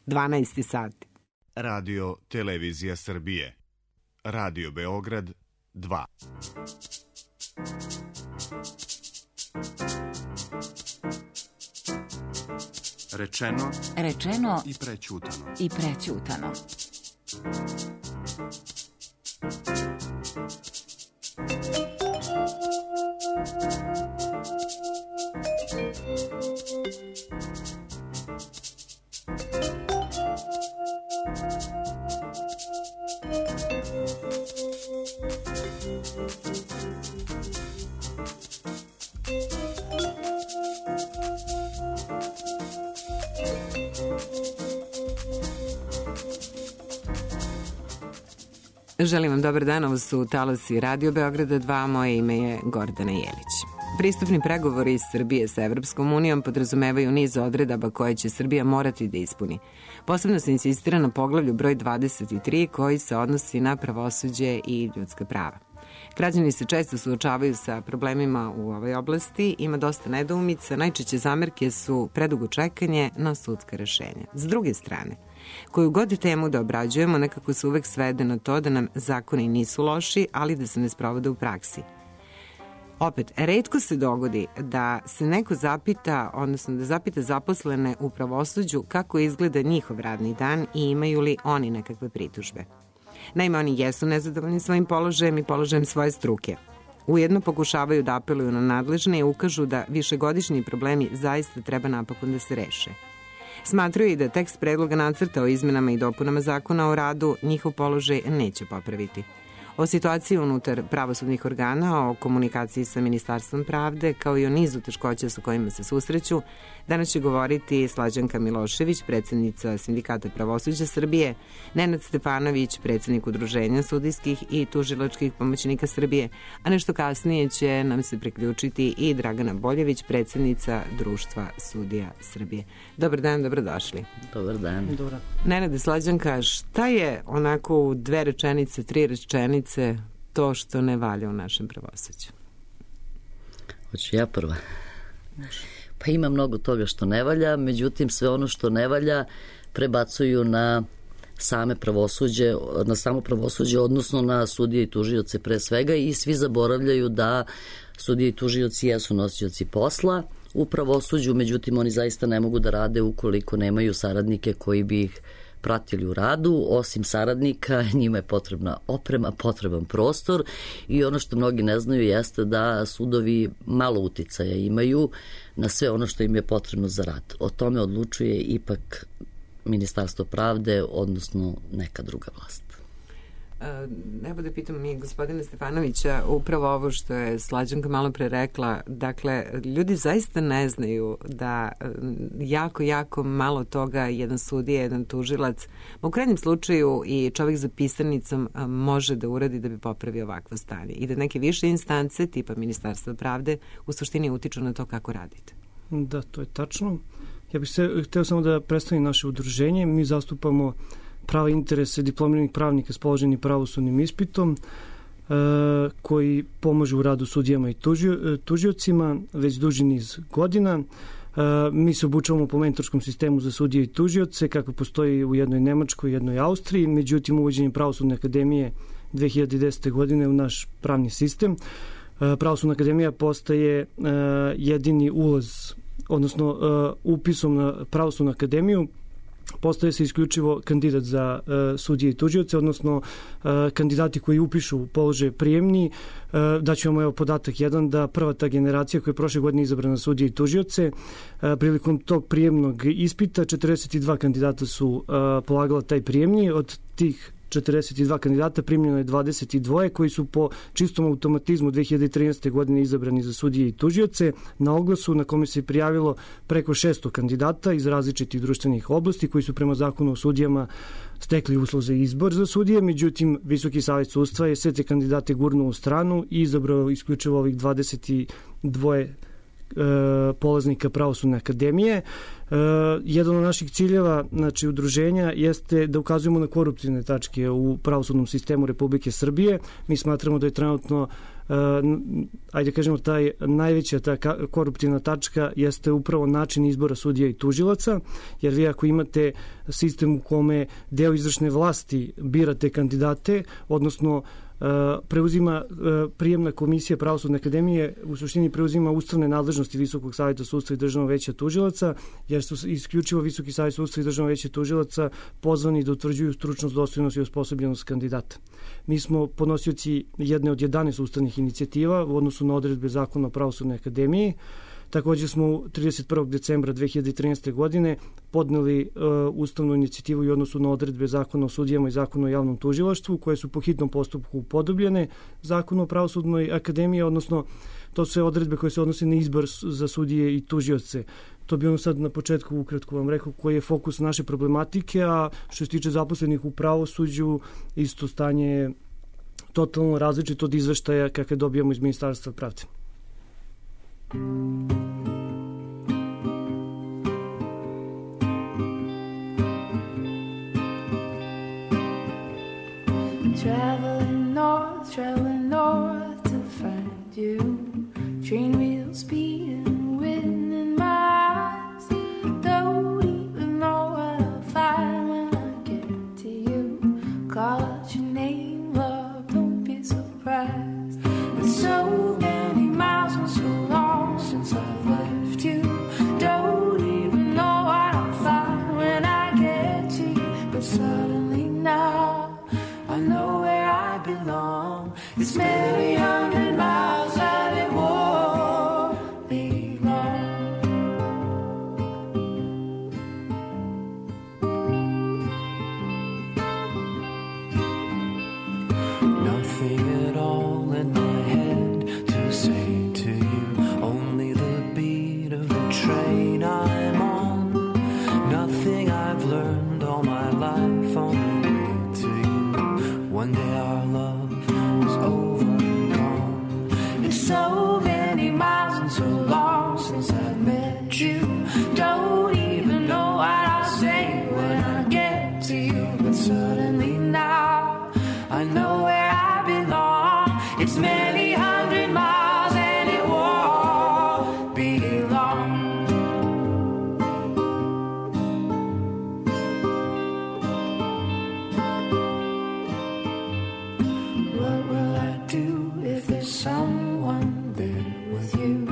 12 sati. Radio Televizija Srbije. Radio Beograd 2. Rečeno i prećutano. Želim vam dobar dan, ovo su talasi Radio Beograda 2, moje ime je Gordana Jelić. Pristupni pregovori Srbije sa Evropskom unijom podrazumevaju niz odredaba koje će Srbija morati da ispuni. Posebno se insistira na poglavlju broj 23 koji se odnosi na pravosuđe i ljudska prava. Građani se često suočavaju sa problemima u ovoj oblasti, ima dosta nedoumica, najčešće zamerke su predugo čekanje na sudska rešenja. S druge strane, koju god temu da obrađujemo, nekako se uvek svede na to da nam zakoni nisu loši, ali da se ne sprovode u praksi. Opet, retko se dogodi da se neko zapita, odnosno da zapita zaposlene u pravosuđu kako izgleda njihov radni dan i imaju li oni nekakve pritužbe. Naime, oni jesu nezadovoljni svojim položajem i položajem svoje struke. Ujedno pokušavaju da apeluju na nadležne i ukažu da višegodišnji problemi zaista treba napokon da se reše. Smatraju i da tekst predloga nacrta o izmenama i dopunama zakona o radu njihov položaj neće popraviti. O situaciji unutar pravosudnih organa, o komunikaciji sa Ministarstvom pravde, kao i o nizu teškoća sa kojima se susreću, danas će govoriti Slađanka Milošević, predsednica Sindikata pravosuđa Srbije, Nenad Stefanović, predsednik Udruženja sudijskih i tužilačkih pomoćnika Srbije, a nešto kasnije će nam se priključiti i Dragana Boljević, predsednica Društva sudija Srbije. Dobar dan, dobrodošli. Dobar dan. Nenade, Slađanka, šta je onako u 2 rečenice, 3 rečenice to što ne valja u našem pravosuđu? Hoću ja prva. Pa ima mnogo toga što ne valja, međutim sve ono što ne valja prebacuju na samo pravosuđe, odnosno na sudije i tužioce pre svega, i svi zaboravljaju da sudije i tužioci jesu nosioci posla u pravosuđu, međutim oni zaista ne mogu da rade ukoliko nemaju saradnike koji bi ih pratili u radu. Osim saradnika, njima je potrebna oprema, potreban prostor, i ono što mnogi ne znaju jeste da sudovi malo uticaja imaju na sve ono što im je potrebno za rad. O tome odlučuje ipak Ministarstvo pravde, odnosno neka druga vlast. Evo da pitam mi gospodina Stefanovića, upravo ovo što je Slađanka malo pre rekla, dakle, ljudi zaista ne znaju da jako malo toga jedan sudija, jedan tužilac, u krajnjem slučaju i čovjek za pisanicom može da uradi da bi popravio ovakvo stanje, i da neke više instance tipa Ministarstva pravde u suštini utiču na to kako radite. Da, to je tačno. Ja bih hteo samo da predstavim naše udruženje. Mi zastupamo prava interese diplomiranih pravnika s položenim pravosudnim ispitom koji pomažu u radu sudijama i tužiocima već duži niz godina. Mi se obučavamo po mentorskom sistemu za sudije i tužioce, kako postoji u jednoj Nemačkoj i jednoj Austriji, međutim uvođenjem Pravosudne akademije 2010. godine u naš pravni sistem. Pravosudna akademija postaje jedini ulaz, odnosno upisom na Pravosudnu akademiju postaje se isključivo kandidat za sudije i tužioce, odnosno kandidati koji upišu položaje prijemni. Daću vam podatak jedan, da prva ta generacija koja je prošle godine izabrana sudije i tužioce, prilikom tog prijemnog ispita 42 kandidata su polagala taj prijemni. Od tih 42 kandidata primljeno je 22 koji su po čistom automatizmu 2013. godine izabrani za sudije i tužioce. Na oglasu na kome se prijavilo preko 600 kandidata iz različitih društvenih oblasti koji su prema zakonu o sudijama stekli uslov za izbor za sudije, međutim Visoki savet sudstva je sve te kandidate gurnuo u stranu i izabrao isključivo ovih 22 polaznika Pravosudne akademije. Jedan od naših ciljeva, znači udruženja, jeste da ukazujemo na koruptivne tačke u pravosudnom sistemu Republike Srbije. Mi smatramo da je trenutno ajde kažemo, najveća ta koruptivna tačka jeste upravo način izbora sudija i tužilaca, jer vi ako imate sistem u kome deo izvršne vlasti bira te kandidate, odnosno preuzima prijemna komisija Pravosudne akademije, u suštini preuzima ustavne nadležnosti Visokog savjeta sudstva i Državnog veća tužilaca, jer su isključivo Visoki savjet sudstva i Državno veće tužilaca pozvani da utvrđuju stručnost, dostojnost i osposobljenost kandidata. Mi smo podnosioci jedne od 11 ustavnih inicijativa u odnosu na odredbe Zakona o Pravosudnoj akademiji. Također smo 31. decembra 2013. godine podneli ustavnu inicijativu i odnosu na odredbe Zakona o sudijama i Zakona o javnom tužilaštvu, koje su po hitnom postupku upodobljene Zakonu o Pravosudnoj akademiji, odnosno to su sve odredbe koje se odnose na izbor za sudije i tužioce. To bi ono sad na početku ukratko vam rekao koji je fokus naše problematike, a što se tiče zaposlenih u pravosuđu, isto stanje je totalno različito od izveštaja kakve dobijamo iz Ministarstva pravde. Traveling north to find you. Train wheels speeding, wind in my eyes. Don't even know what I'll find when I get to you. Call out your name, love, don't be surprised. It's so many miles and so long since I've left you. Don't even know what I'll find when I get to you. But suddenly now I know where I belong. It's many hundred miles and it won't be long. Nothing at all in my head to say to you, only the beat of the train I'm on. Nothing I've learned all my life on the way to you. One day our love is over and gone. It's so many miles and so long since I've met you. Don't even know what I'll say when I get to you. But suddenly now I know where I belong. It's many hundred miles and it won't be long. What will I do if there's someone there with you?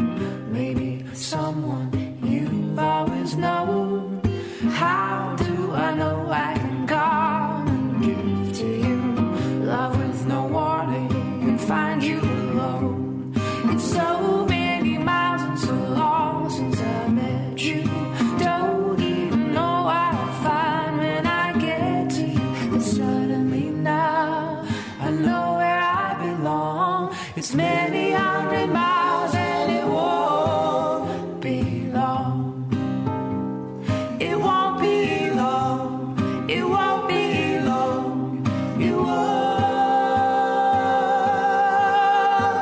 Maybe someone you've always known. How do I know I can come and give to you love with no warning and find you alone? It's so many miles and so long since I met you. Don't even know what I'll find when I get to you. But suddenly now I know where I belong. It's many hundred miles and it won't be long. It won't be long. It won't be long. It won't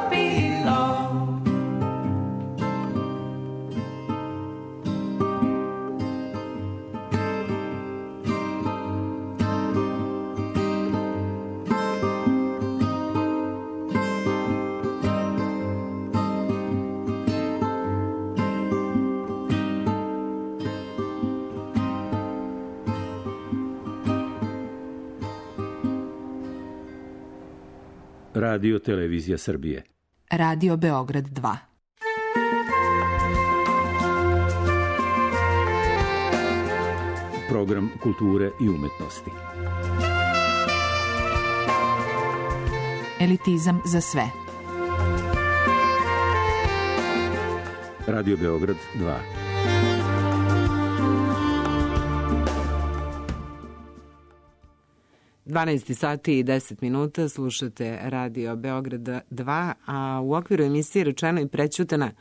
be long. Radio Televizija Srbije. Radio Beograd 2. Program kulture i umetnosti. Elitizam za sve. Radio Beograd 2. sati i 10 minuta, slušate Radio Beograd 2, a u okviru emisije Rečeno i prećutana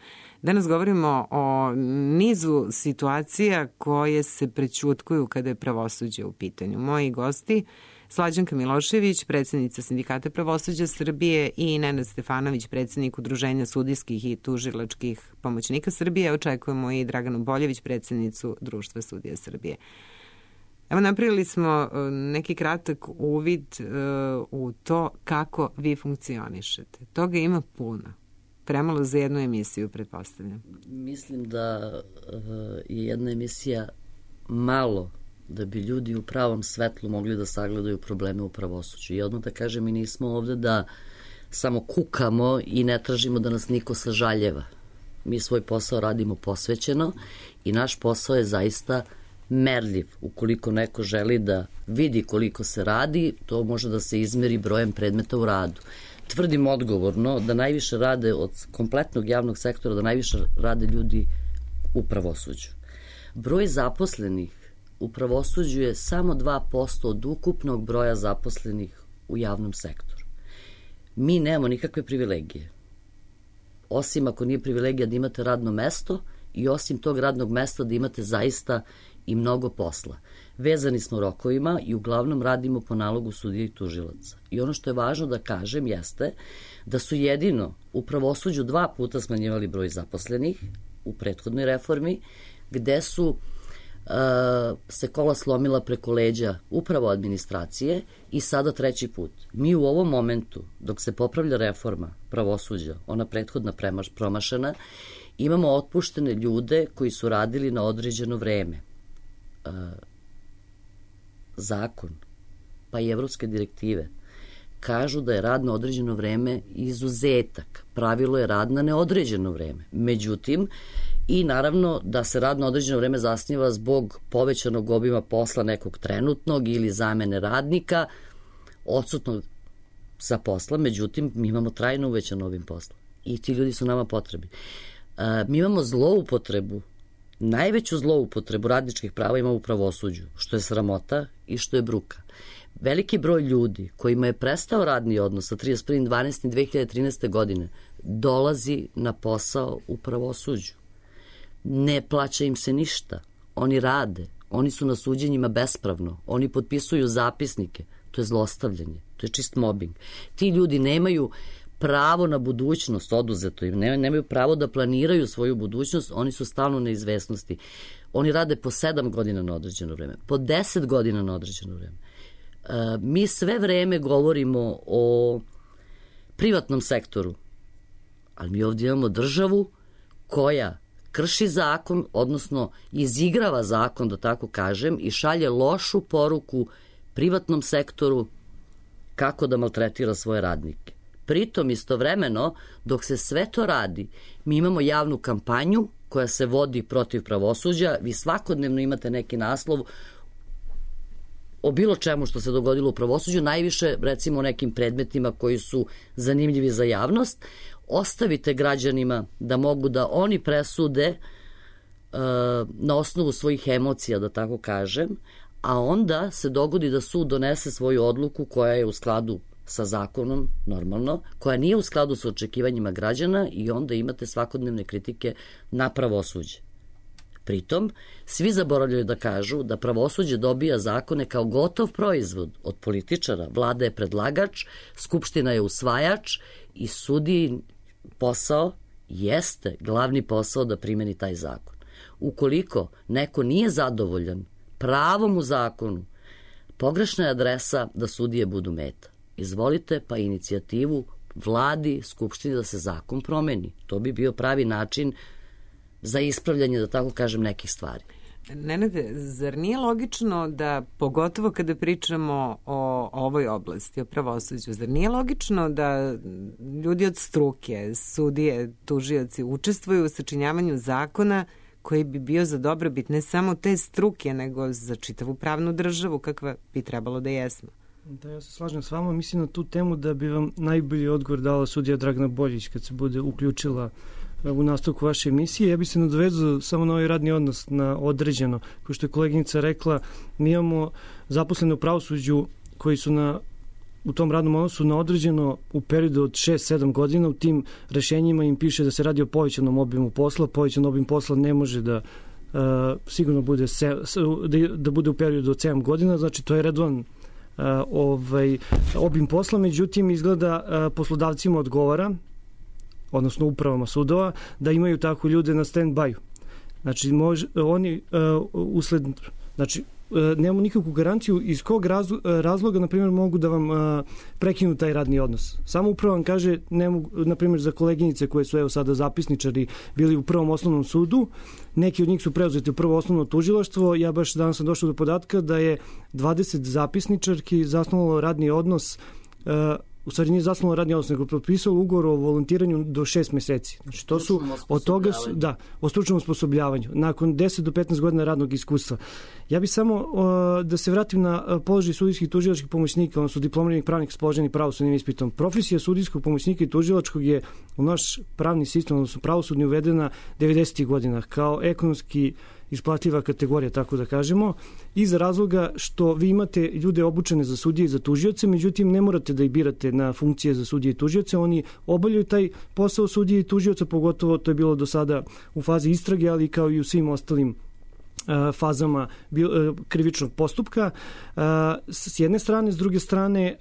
danas govorimo o nizu situacija koje se prećutkuju kada je pravosuđe u pitanju. Moji gosti, Slađanka Milošević, predsjednica Sindikata pravosuđa Srbije, i Nenad Stefanović, predsjednik Udruženja sudijskih i tužilačkih pomoćnika Srbije. Očekujemo i Draganu Boljević, predsjednicu Društva sudija Srbije. Evo, napravili smo neki kratak uvid u to kako vi funkcionišete. Toga ima puno. Premalo za jednu emisiju, pretpostavljam. Mislim da je jedna emisija malo da bi ljudi u pravom svetlu mogli da sagledaju probleme u pravosuđu. I odmah da kažem, mi nismo ovde da samo kukamo i ne tražimo da nas niko sažaljeva. Mi svoj posao radimo posvećeno i naš posao je zaista merljiv. Ukoliko neko želi da vidi koliko se radi, to može da se izmeri brojem predmeta u radu. Tvrdim odgovorno da najviše rade od kompletnog javnog sektora, da najviše rade ljudi u pravosuđu. Broj zaposlenih u pravosuđu je samo 2% od ukupnog broja zaposlenih u javnom sektoru. Mi nemamo nikakve privilegije. Osim ako nije privilegija da imate radno mesto i osim tog radnog mesta da imate zaista i mnogo posla. Vezani smo rokovima i uglavnom radimo po nalogu sudija i tužilaca. I ono što je važno da kažem jeste da su jedino u pravosuđu 2 puta smanjivali broj zaposlenih u prethodnoj reformi, gde su se kola slomila preko leđa upravo administracije i sada 3. put. Mi u ovom momentu, dok se popravlja reforma pravosuđa, ona prethodna promašena, imamo otpuštene ljude koji su radili na određeno vreme. Zakon, pa i evropske direktive kažu da je rad na određeno vreme izuzetak. Pravilo je rad na neodređeno vreme. Međutim, i naravno da se rad na određeno vreme zasniva zbog povećanog obima posla nekog trenutnog ili zamene radnika, odsutnog sa posla, međutim, mi imamo trajno uvećan obim posla i ti ljudi su nama potrebni. Mi imamo zloupotrebu, najveću zloupotrebu radničkih prava ima u pravosuđu, što je sramota i što je bruka. Veliki broj ljudi kojima je prestao radni odnos sa 31.12.2013. godine dolazi na posao u pravosuđu. Ne plaća im se ništa. Oni rade. Oni su na suđenjima bespravno. Oni potpisuju zapisnike. To je zlostavljanje. To je čist mobbing. Ti ljudi nemaju pravo na budućnost, oduzeto im. Nemaju pravo da planiraju svoju budućnost. Oni su stalno na izvesnosti. Oni rade po 7 godina na određeno vreme. Po 10 godina na određeno vreme. Mi sve vreme govorimo o privatnom sektoru. Ali mi ovdje imamo državu koja krši zakon, odnosno izigrava zakon, da tako kažem, i šalje lošu poruku privatnom sektoru kako da maltretira svoje radnike. Pritom, istovremeno, dok se sve to radi, mi imamo javnu kampanju koja se vodi protiv pravosuđa. Vi svakodnevno imate neki naslov o bilo čemu što se dogodilo u pravosuđu, najviše, recimo, o nekim predmetima koji su zanimljivi za javnost. Ostavite građanima da mogu da oni presude na osnovu svojih emocija, da tako kažem, a onda se dogodi da sud donese svoju odluku koja je u skladu sa zakonom, normalno, koja nije u skladu sa očekivanjima građana i onda imate svakodnevne kritike na pravosuđe. Pritom, svi zaboravljaju da kažu da pravosuđe dobija zakone kao gotov proizvod od političara. Vlada je predlagač, Skupština je usvajač i sudiji posao jeste glavni posao da primeni taj zakon. Ukoliko neko nije zadovoljan pravom u zakonu, pogrešna je adresa da sudije budu meta. Izvolite pa inicijativu Vladi, Skupštini da se zakon promeni. To bi bio pravi način za ispravljanje, da tako kažem, nekih stvari. Nenade, zar nije logično da, pogotovo kada pričamo o ovoj oblasti, o pravosuđu, zar nije logično da ljudi od struke, sudije, tužioci, učestvuju u sačinjavanju zakona koji bi bio za dobrobit ne samo te struke, nego za čitavu pravnu državu, kakva bi trebalo da jesmo? Da, ja se slažem s vama. Mislim na tu temu da bi vam najbolji odgovor dala sudija Dragana Boljić kad se bude uključila u nastavku vaše emisije. Ja bih se nadovezao samo na ovaj radni odnos na određeno. Kao što je koleginica rekla, mi imamo zaposlene u pravosuđu koji su u tom radnom odnosu na određeno u periodu od 6-7 godina. U tim rešenjima im piše da se radi o povećanom obimu posla. Povećan obim posla ne može da sigurno bude da bude u periodu od 7 godina. Znači, to je redovan obim posla. Međutim, izgleda poslodavcima odgovara, odnosno upravama sudova, da imaju tako ljude na stand-by. Znači, oni usled nemamo nikakvu garanciju iz kog razloga, na primjer, mogu da vam prekinu taj radni odnos. Samo upravo vam kaže, ne mogu, na primjer, za koleginice koje su sada zapisničari bili u prvom osnovnom sudu, neki od njih su preuzeti u prvo osnovno tužilaštvo. Ja baš danas sam došao do podatka da je 20 zapisničarki zasnovalo radni odnos, u stvari nije zasnovalo radni odnos, nego potpisalo ugovor o volontiranju do 6 meseci. Znači, to su od toga o stručnom osposobljavanju, nakon 10 do 15 godina radnog iskustva. Ja bih samo da se vratim na položaj sudijskih i tužilačkih pomoćnika, odnosno diplomiranih pravnika s položenim pravosudnim ispitom. Profesija sudijskog pomoćnika i tužilačkog je u naš pravni sistem, odnosno pravosudni, uvedena 90. godina kao ekonomski isplativa kategorija, tako da kažemo, iz razloga što vi imate ljude obučene za sudije i za tužioce, međutim ne morate da ih birate na funkcije za sudije i tužioce, oni obavljaju taj posao sudije i tužioca, pogotovo to je bilo do sada u fazi istrage, ali kao i u svim ostalim fazama krivičnog postupka. S jedne strane, s druge strane,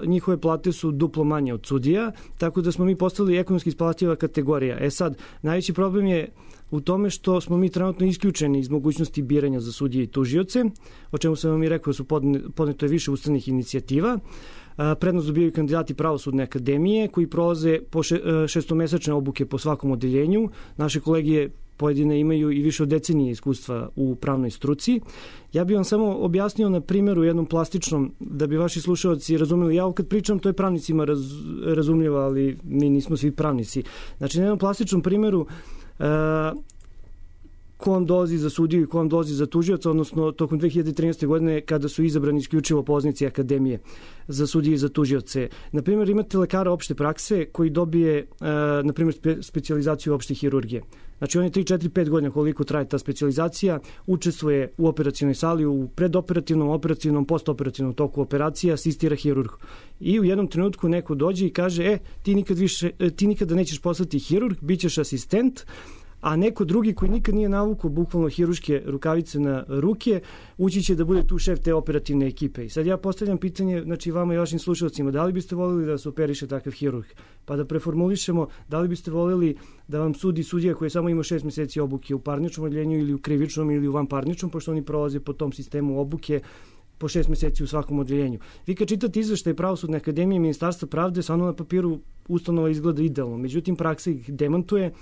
njihove plate su duplo manje od sudija, tako da smo mi postali ekonomski isplativa kategorija. Sad, najveći problem je u tome što smo mi trenutno isključeni iz mogućnosti biranja za sudije i tužioce, o čemu sam vam i rekao, su podneto je više ustavnih inicijativa. Prednost dobijaju kandidati Pravosudne akademije koji prolaze po šestomesečne obuke po svakom odeljenju. Naše kolegije pojedine imaju i više od decenije iskustva u pravnoj struci. Ja bih vam samo objasnio na primjeru jednom plastičnom, da bi vaši slušalci razumeli. Ja kad pričam, to je pravnicima razumljivo, ali mi nismo svi pravnici. Znači, na jednom plastičnom primjeru ko vam dolazi za sudiju i ko vam dolazi za tužioca, odnosno tokom 2013. godine kada su izabrani isključivo poznici akademije za sudije i za tužioce. Na primjer, imate lekara opšte prakse koji dobije, na primjer, specijalizaciju opšte hirurgije. Znači, on je 3, 4, 5 godina koliko traje ta specijalizacija, učestvuje u operacionoj sali, u predoperativnom, operativnom, postoperativnom toku operacija, asistira hirurgu. I u jednom trenutku neko dođe i kaže, ti nikada nećeš postati hirurg, bit ćeš asistent, a neko drugi koji nikad nije navukao bukvalno hiruške rukavice na ruke, ući će da bude tu šef te operativne ekipe. I sad ja postavljam pitanje, znači vama i vašim slušalcima, da li biste voljeli da se operiše takav hirurg? Pa da preformulišemo, da li biste voljeli da vam sudi sudija koji samo ima 6 meseci obuke u parničnom odeljenju ili u krivičnom ili u vanparničnom, pošto oni prolaze po tom sistemu obuke po 6 meseci u svakom odeljenju. Vi kad čitate izveštaj Pravosudne akademije i Ministarstva pravde, samo na papiru ustanova izgleda idealno, međutim praksa ih demantuje.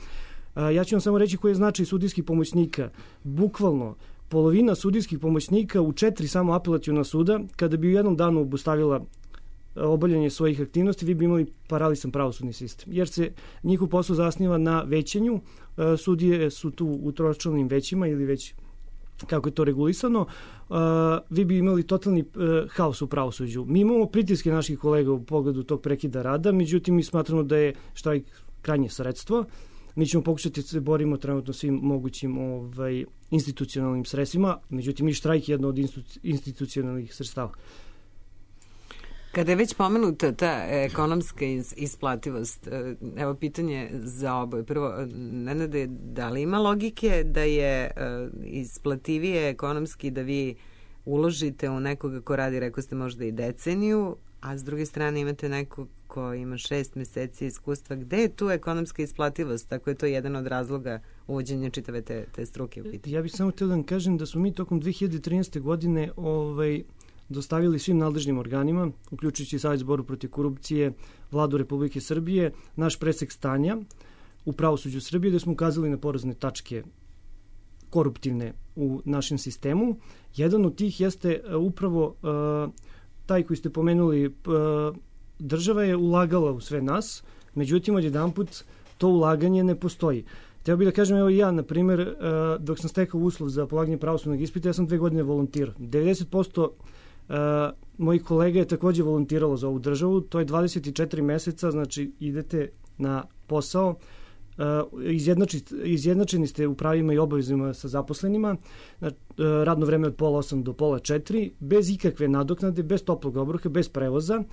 Ja ću vam samo reći koji je značaj sudijskih pomoćnika. Bukvalno, polovina sudijskih pomoćnika u 4 samo apelaciona suda, kada bi u jednom danu obustavila obavljanje svojih aktivnosti, vi bi imali paralisan pravosudni sistem. Jer se njihov posao zasniva na većenju, sudije su tu u tročlanim većima ili već kako je to regulisano, vi bi imali totalni haos u pravosuđu. Mi imamo pritiske naših kolega u pogledu tog prekida rada, međutim mi smatramo da je štrajk krajnje sredstvo. Mi ćemo pokušati da se borimo trenutno svim mogućim institucionalnim sredstvima, međutim i štrajk je jedno od institucionalnih sredstava. Kada je već pomenuta ta ekonomska isplativost, evo pitanje za oboje. Prvo, Nenade, da li ima logike da je isplativije ekonomski da vi uložite u nekoga ko radi, rekao ste, možda i deceniju, a s druge strane imate nekog ko ima 6 meseci iskustva? Gde je tu ekonomska isplativost? Tako je to jedan od razloga uvođenja čitave te struke u pitanju. Ja bih samo htio da vam kažem da smo mi tokom 2013. godine dostavili svim nadležnim organima, uključujući Savez za borbu protiv korupcije, Vladu Republike Srbije, naš presek stanja u pravosuđu Srbije, gde smo ukazali na porazne tačke koruptivne u našem sistemu. Jedan od tih jeste upravo taj koji ste pomenuli. Država je ulagala u sve nas, međutim, odjedanput to ulaganje ne postoji. Hteo bih da kažem, evo ja, na primjer, dok sam stekao uslov za polaganje pravosudnog ispita, ja sam 2 godine volontirao. 90% mojih kolega je takođe volontiralo za ovu državu, to je 24 meseca, znači idete na posao, izjednačeni ste u pravima i obavezima sa zaposlenima, radno vreme od 3:30 do 3:30, bez ikakve nadoknade, bez toplog obroka, bez prevoza,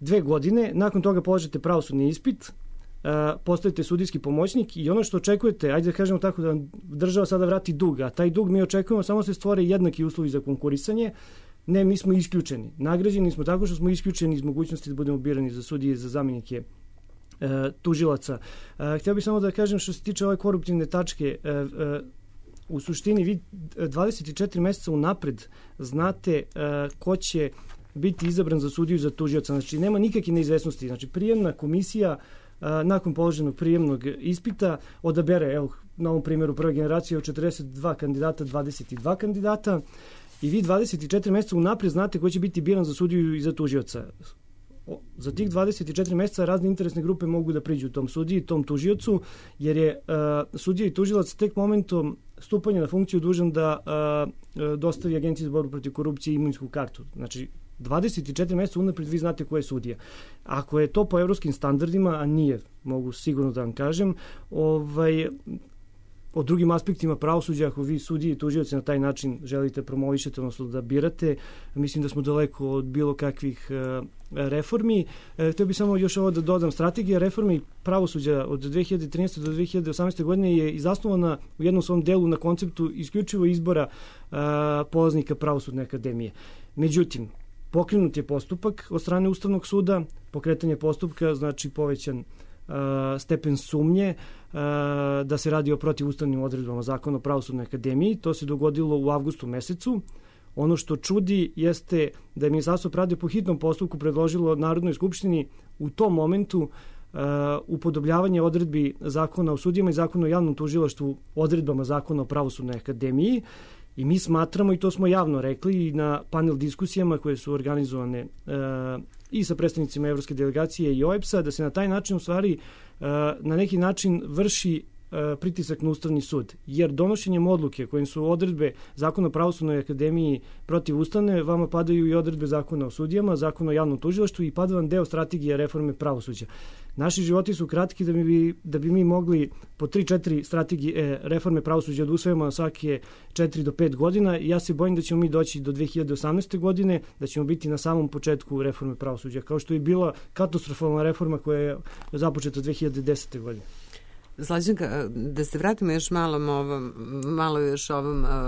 2 godine, nakon toga polažete pravosudni ispit, postajete sudijski pomoćnik i ono što očekujete, ajde da kažemo tako, da država sada vrati dug, a taj dug mi očekujemo samo se stvore jednaki uslovi za konkurisanje. Ne, mi smo isključeni. Nagrađeni smo tako što smo isključeni iz mogućnosti da budemo birani za sudije, za zamenike tužilaca. Htio bih samo da kažem što se tiče ove koruptivne tačke, u suštini vi 24 meseca unapred znate ko će biti izabran za sudiju i za tužioca. Znači, nema nikakve neizvesnosti. Znači, prijemna komisija nakon položenog prijemnog ispita odabere, evo, na ovom primjeru prve generacije od 42 kandidata, 22 kandidata i vi 24 meseca unaprijed znate ko će biti biran za sudiju i za tužioca. Za tih 24 meseca razne interesne grupe mogu da priđu tom sudiji, tom tužiocu, jer je sudija i tužilac tek momentom stupanja na funkciju dužan da dostavi Agenciji za borbu protiv korupcije i imovinsku kartu. Znači, 24 meseca unaprijed vi znate ko je sudija. Ako je to po evropskim standardima, a nije, mogu sigurno da vam kažem, o drugim aspektima pravosuđa, ako vi sudije i tužioci na taj način želite promovišete, odnosno da birate, mislim da smo daleko od bilo kakvih reformi. Htio bih samo još ovo da dodam. Strategija reformi pravosuđa od 2013. do 2018. godine je zasnovana u jednom svom delu na konceptu isključivo izbora polaznika Pravosudne akademije. Međutim, pokrenut je postupak od strane Ustavnog suda, pokretanje postupka znači povećan stepen sumnje da se radi o protivustavnim odredbama Zakona o Pravosudnoj akademiji. To se dogodilo u avgustu mesecu. Ono što čudi jeste da je Ministarstvo pravde po hitnom postupku predložilo Narodnoj skupštini u tom momentu upodobljavanje odredbi Zakona o sudijama i Zakona o javnom tužilaštvu odredbama Zakona o Pravosudnoj akademiji. I mi smatramo, i to smo javno rekli i na panel diskusijama koje su organizovane i sa predstavnicima Evropske delegacije i OEBS-a, da se na taj način u stvari na neki način vrši pritisak na Ustavni sud. Jer donošenjem odluke kojim su odredbe Zakona o Pravosudnoj akademiji protivustavne, vama padaju i odredbe Zakona o sudijama, Zakona o javnom tužilaštvu i pada vam deo strategije reforme pravosuđa. Naši životi su kratki da bi mi mogli po 3-4 strategije reforme pravosuđa da usvojimo na svake 4 do 5 godina. Ja se bojim da ćemo mi doći do 2018. godine, da ćemo biti na samom početku reforme pravosuđa, kao što je bila katastrofalna reforma koja je započeta 2010. godine. Slađanka, da se vratimo još malo još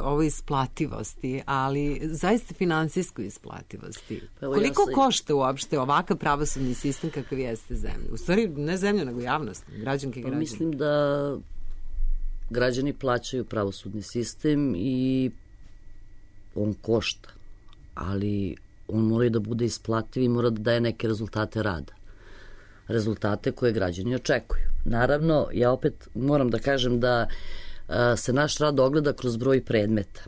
ovoj isplativosti, ali zaista finansijskoj isplativosti. Koliko košta uopšte ovakav pravosudni sistem kakav jeste zemlja? U stvari, ne zemlja, nego javnost, građanke i građani. Mislim da građani plaćaju pravosudni sistem i on košta, ali on mora da bude isplativ i mora da daje neke rezultate rada. Rezultate koje građani očekuju. Naravno, ja opet moram da kažem da se naš rad ogleda kroz broj predmeta.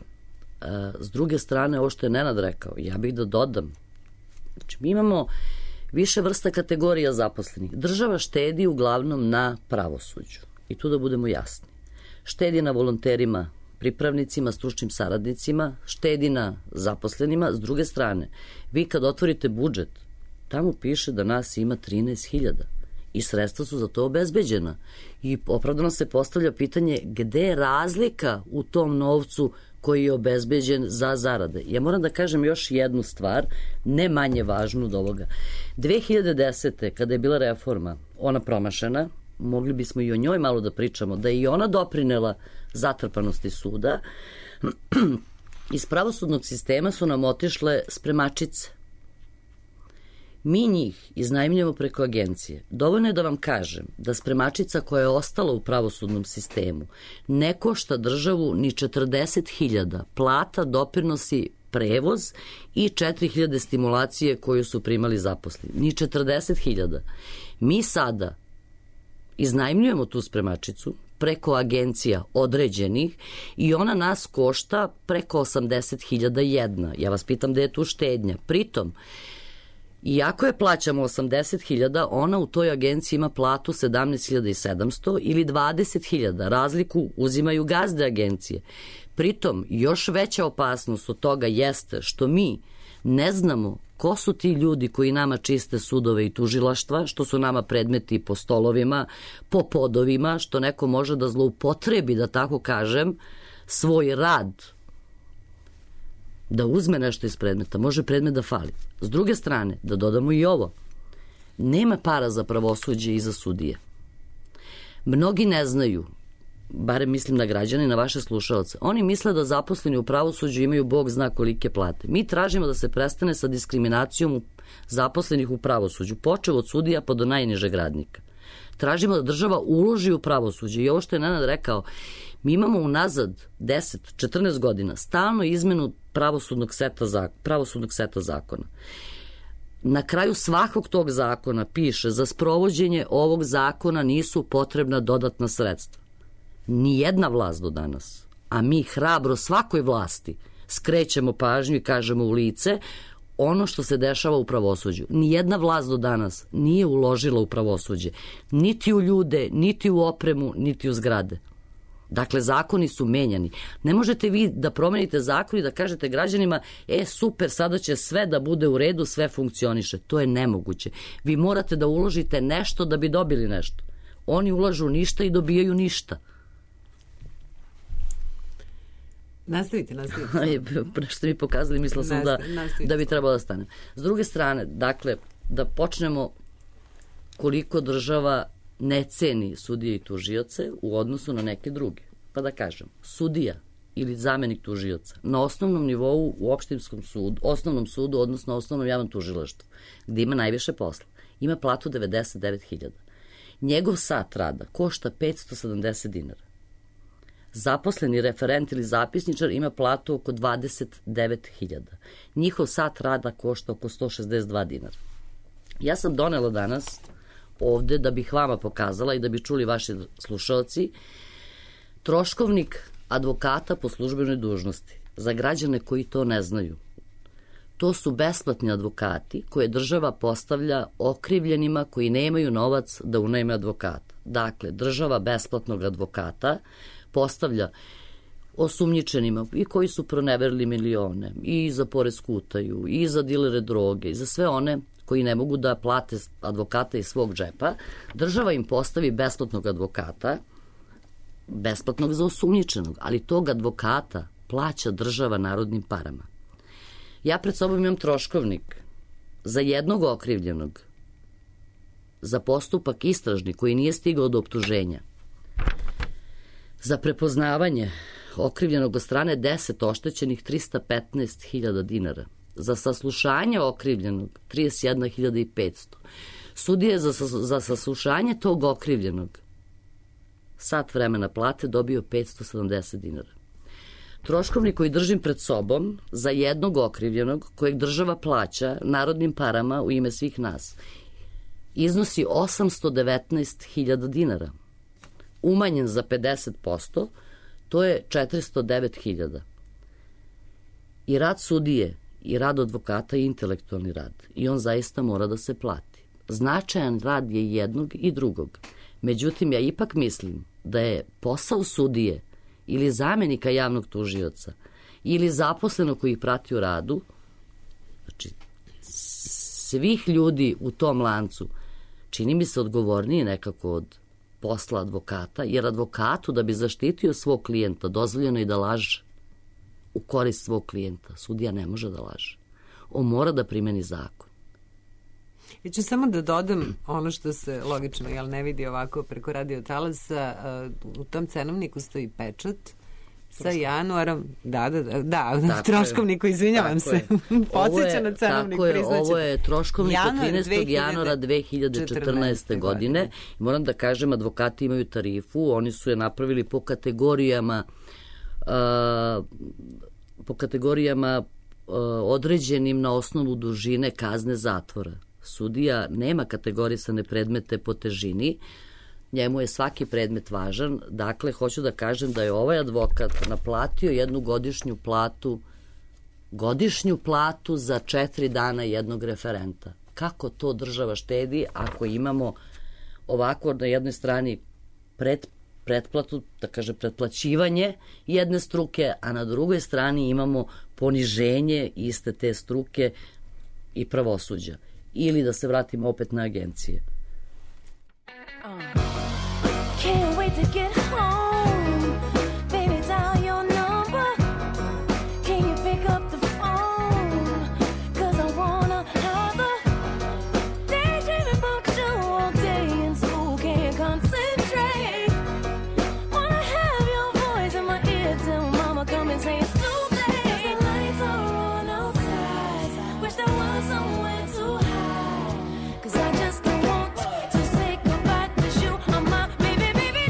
S druge strane, ovo što je Nenad rekao, ja bih da dodam. Znači, mi imamo više vrsta kategorija zaposlenih. Država štedi uglavnom na pravosuđu. I tu da budemo jasni. Štedi na volonterima, pripravnicima, stručnim saradnicima, štedi na zaposlenima. S druge strane, vi kad otvorite budžet, tamo piše da nas ima 13.000 i sredstva su za to obezbeđena. I opravdano se postavlja pitanje gde je razlika u tom novcu koji je obezbeđen za zarade. Ja moram da kažem još jednu stvar, ne manje važnu od ovoga. 2010. kada je bila reforma, ona promašena, mogli bismo i o njoj malo da pričamo, da je i ona doprinela zatrpanosti suda. Iz pravosudnog sistema su nam otišle spremačice. Mi njih iznajmljujemo preko agencije. Dovoljno je da vam kažem da spremačica koja je ostala u pravosudnom sistemu ne košta državu ni 40.000 plata, doprinosi, prevoz i 4.000 stimulacije koju su primali zaposleni. Ni 40.000. Mi sada iznajmljujemo tu spremačicu preko agencija određenih i ona nas košta preko 80.000 jedna. Ja vas pitam da je tu štednja. Pritom, iako je plaćamo 80.000, ona u toj agenciji ima platu 17.700 ili 20.000. Razliku uzimaju gazde agencije. Pritom, još veća opasnost od toga jeste što mi ne znamo ko su ti ljudi koji nama čiste sudove i tužilaštva, što su nama predmeti po stolovima, po podovima, što neko može da zloupotrebi, da tako kažem, svoj rad, da uzme nešto iz predmeta, može predmet da fali. S druge strane, da dodamo i ovo, nema para za pravosuđe i za sudije. Mnogi ne znaju, barem mislim na građane i na vaše slušalce, oni misle da zaposleni u pravosuđu imaju Bog zna kolike plate. Mi tražimo da se prestane sa diskriminacijom zaposlenih u pravosuđu, počev od sudija pa do najnižeg radnika. Tražimo da država uloži u pravosuđe i ovo što je Nenad rekao, Mi imamo unazad 10-14 godina stalno izmenu pravosudnog seta zakona. Na kraju svakog tog zakona piše za sprovođenje ovog zakona nisu potrebna dodatna sredstva. Nijedna vlast do danas, a mi hrabro svakoj vlasti skrećemo pažnju i kažemo u lice ono što se dešava u pravosuđu. Nijedna vlast do danas nije uložila u pravosuđe, niti u ljude, niti u opremu, niti u zgrade. Dakle, zakoni su menjani. Ne možete vi da promenite zakon i da kažete građanima, super, sada će sve da bude u redu, sve funkcioniše. To je nemoguće. Vi morate da uložite nešto da bi dobili nešto. Oni ulažu ništa i dobijaju ništa. Nastavite. Pre što mi pokazali, mislila sam da bi trebalo da stanem. S druge strane, dakle, da počnemo koliko država ne ceni sudije i tužioce u odnosu na neke druge. Pa da kažem, sudija ili zamenik tužioca na osnovnom nivou u osnovnom sudu, odnosno osnovnom javnom tužilaštvu, gde ima najviše posla, ima platu 99.000. Njegov sat rada košta 570 dinara. Zaposleni referent ili zapisničar ima platu oko 29.000. Njihov sat rada košta oko 162 dinara. Ja sam donela danas ovde da bih vama pokazala i da bi čuli vaši slušalci troškovnik advokata po službenoj dužnosti. Za građane koji to ne znaju. To su besplatni advokati koje država postavlja okrivljenima koji nemaju novac da unajme advokata. Dakle, država besplatnog advokata postavlja osumnjičenima i koji su proneverili milione i za poresku utaju i za dilere droge i za sve one koji ne mogu da plate advokata iz svog džepa. Država im postavi besplatnog advokata, besplatnog za osumnjičenog, ali tog advokata plaća država narodnim parama. Ja pred sobom imam troškovnik za jednog okrivljenog, za postupak istražni koji nije stigao do optuženja, za prepoznavanje okrivljenog od strane 10 oštećenih 315.000 dinara, za saslušanje okrivljenog 31.500. Sudije za saslušanje tog okrivljenog sat vremena plate dobio 570 dinara. Troškovnik koji držim pred sobom za jednog okrivljenog kojeg država plaća narodnim parama u ime svih nas iznosi 819.000 dinara. Umanjen za 50%, to je 409.000. I rad sudije i rad advokata je intelektualni rad i on zaista mora da se plati. Značajan rad je jednog i drugog. Međutim, ja ipak mislim da je posao sudije ili zamenika javnog tužioca ili zaposlenog koji ih prati u radu, znači svih ljudi u tom lancu, čini mi se odgovorniji nekako od posla advokata, jer advokatu da bi zaštitio svog klijenta dozvoljeno je da laže u korist svog klijenta. Sudija ne može da laže. On mora da primeni zakon. Ja ću samo da dodam ono što se logično ne vidi ovako preko radio talasa. U tom cenovniku stoji pečat sa januarom. Da, troškovniku, izvinjavam se. Podsjeća na cenovnik, priznaćete. Ovo je troškovnik od 13. januara 2014. godine. Moram da kažem, advokati imaju tarifu, oni su je napravili po kategorijama određenim na osnovu dužine kazne zatvora. Sudija nema kategorisane predmete po težini, njemu je svaki predmet važan. Dakle, hoću da kažem da je ovaj advokat naplatio jednu godišnju platu za 4 dana jednog referenta. Kako to država štedi ako imamo ovako na jednoj strani pretplatu, da kaže pretplaćivanje jedne struke, a na drugoj strani imamo poniženje iste te struke i pravosuđa. Ili da se vratimo opet na agencije. Can't wait to get home. Baby, dial your number. Can you pick up the phone? 'Cause I wanna have a daydreaming about you all day in school. Can't concentrate. Wanna have your voice in my ear till mama come and say it's too late. 'Cause the lights are on outside. Wish there was somewhere to hide. 'Cause I just don't want to say goodbye to you. I'm my baby, baby.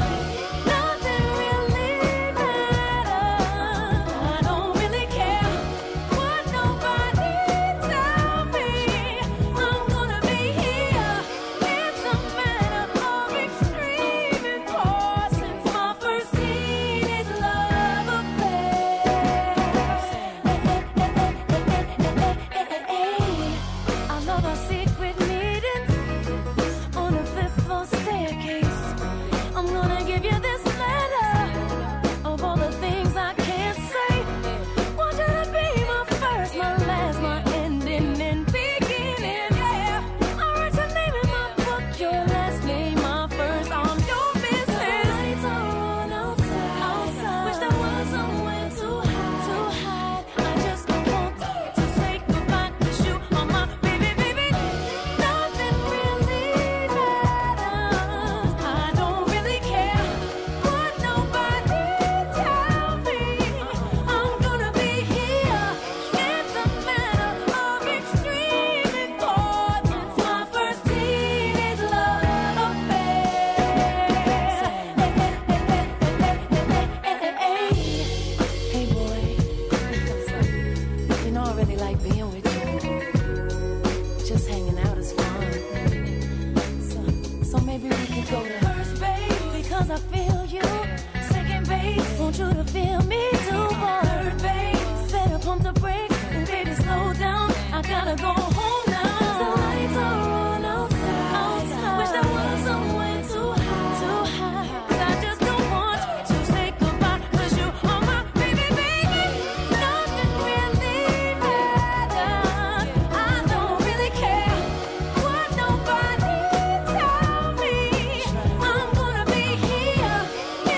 like being with you. Just hanging out is fun. So maybe we could go to first base because I feel you. Second base, want you to feel me too. Third base, better pump the brakes and baby slow down. I gotta go home now. The lights are on outside. Wish there was somewhere too high. I just don't want to say goodbye 'cause you are my baby, baby. Nothing really matters. I don't really care what nobody tell me. I'm gonna be here.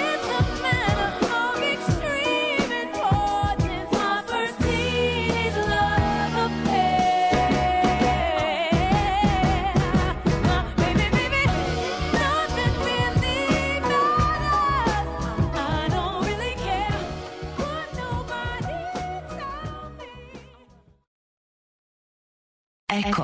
It's a matter of extreme importance. My first teenage love affair. My baby, baby, nothing really matters. I don't really care what nobody tell me. Eko.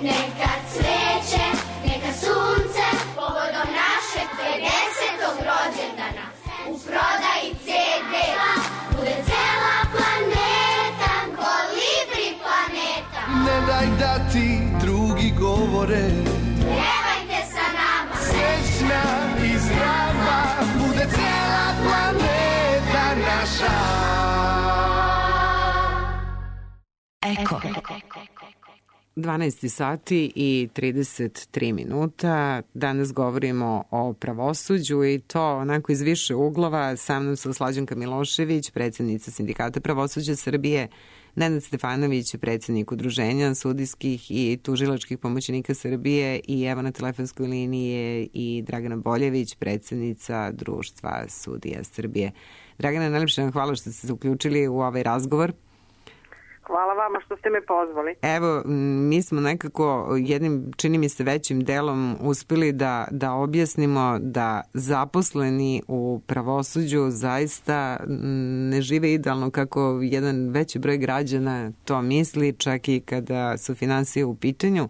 Neka cveće, neka sunce, povodom našeg 50. rođendana. U prodaji CD-a bude cela planeta, kolibri planeta. Ne daj da ti drugi govore, Pjevajte sa nama, srećna i zdrava, bude cela planeta naša. Eko. 12 sati i 33 minuta. Danas govorimo o pravosuđu i to onako iz više uglova. Sa mnom su Slađanka Milošević, predsjednica Sindikata pravosuđa Srbije, Nenad Stefanović, predsjednik Udruženja sudijskih i tužilačkih pomoćnika Srbije i evo na telefonskoj liniji je i Dragana Boljević, predsjednica Društva sudija Srbije. Dragana, najlepše vam hvala što ste se uključili u ovaj razgovor. Hvala vama što ste me pozvali. Evo, mi smo nekako jednim, čini mi se, većim delom uspeli da objasnimo da zaposleni u pravosuđu zaista ne žive idealno kako jedan veći broj građana to misli, čak i kada su finansije u pitanju.